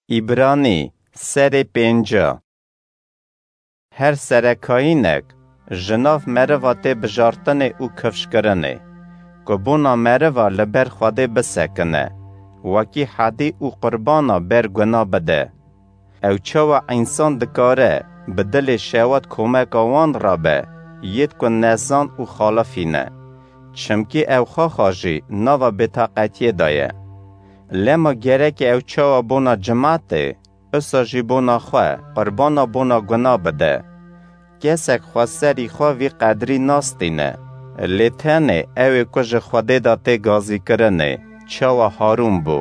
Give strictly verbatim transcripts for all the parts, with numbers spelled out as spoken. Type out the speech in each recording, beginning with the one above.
Îbranî, serê pênca. Her serekayînek ji nav meriva tê bijartinê û kifşkirinê, ku bona meriva li ber Xwedê bisekine, wekî hedî û qurbana ber guna bide. Ew çawa însan dikare bi dilê şewat komeka wan re be, yêd ku nezan û xalifî ne? Çimkî ew xwexa jî nava bêtaqetiyê de ye. Lema gerek ew çawa bona cimatê, usa jî bona xwe qurbana bona guna bide. Kesek xweserî xwe vî qedrî nastîne, lê tenê ew ê ku ji Xwedê de tê gazîkirinê, çawa Harûn bû.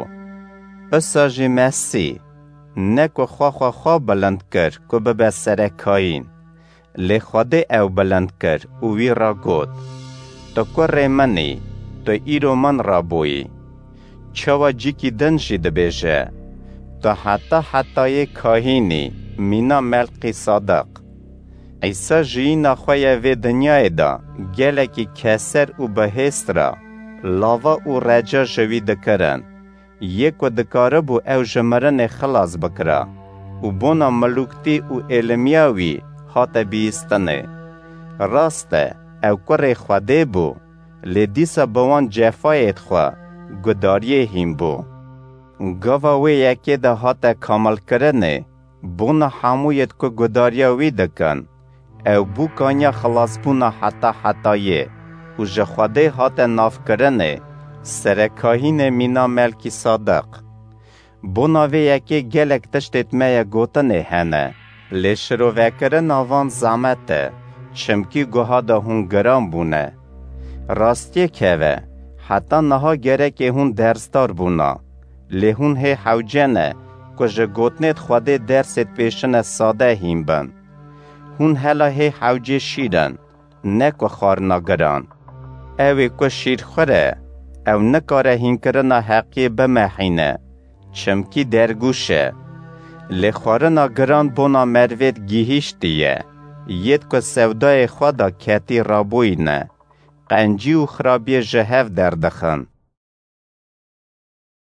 Usa jî Mesî, ne ku xwe xwe xwe bilind kir ku bibe serekayîn, lê Xwedê ew bilind kir û wî re got, "Tu kurê min î, tu îro min re bûyî." Çawa cîkî din jî dibêje, "Tu heta hetayê kahîn î, mîna Melkîsadeq." Îsa jiyîna xwe ya vê dinyayê de gelekî keser û bihêst re, lava û reca ji wî dikirin. Yê ku dikaribû ew ji mirinê xilas bikira û bona milûktî û êlimiya wî hate bihîstinê. Rast e, ew kurê Xwedê bû, lê dîsa bi wan cefayêd xwe gudariyê hîn bû. Gava wê yekê de hate kamilkirinê, bona hemûyêd ku gudariya wî dikin, ew bû kanya xilasbûna heta hetayê û ji Xwedê hate navkirinê, serekahînê mîna Melkîsadeq. Bona vê yekê gelek tiştêd me ye gotinê hene, lê şirovekirina van zemet e, çimkî guha de hûn giran bûne. Rastiyek heve, heta niha gerekê hûn dersdar bûna, lê hûn hê hewce ne ku ji gotinêd Xwedê dersêd pêşine sade hîn bin. Hûn hela hê hewcê şîr in, ne ku xwarina giran. Ew ê ku şîrxwir e, ew nikare hînkirina heqiyê bimehîne, çimkî dergûş e. Lê xwarina giran bona merivêd gihîştî ye, yêd ku sewdayê xwe de ketî rabûyîne, qencî û xirabiyê ji hev derdixin.